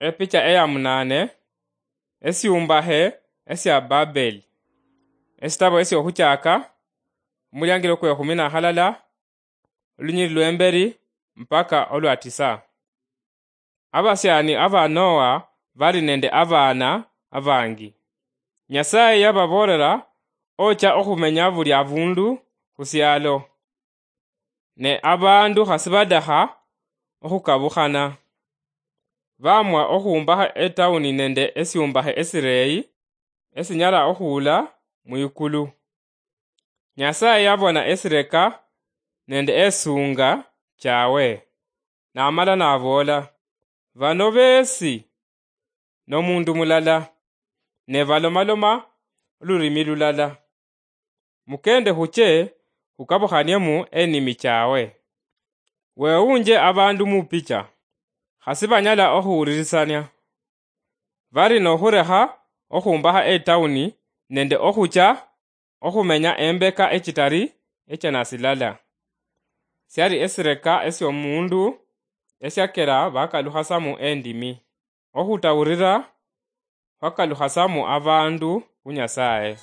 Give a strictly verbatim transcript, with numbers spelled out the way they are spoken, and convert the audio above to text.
Epicha eya munaane, esyuumbahe esya Babeli. Esitabo esy'ohuchaaka, omulyaangilo kw'ehumi na halala, olunyiriri lw'emberi mpaka olwa tisa. Abasyaani aba Noa bali nende abaana abaangi. Nyasaye yababoolera, ochia ohumenya buli abuundu hu syaalo. Ne abaandu hasi badaha ohukabuhana. Baamwa ohuumbaha etawuni nende esyuumbahe esireeyi esinyala ohuula mwikulu. Nyasaye yabona esireka nende esuunga chaawe, namala naboola, "Bano beesi n'omuundu mulala, ne balomaloma olulimi lulala. Mukeende huche hukabuhaniemu enimi chaawe." Wewunje abaandu mu picha, hasi banyala ohuwulirisania. Bari n'ohureha ohuumbaha etawuni nende ohucha ohumenya embeka echitari echana silala. Syali esireka esy'omuundu esyakera bakaluhasamu endimi. Ohutawurira hwakaluhasamu abaandu hu Nyasaye.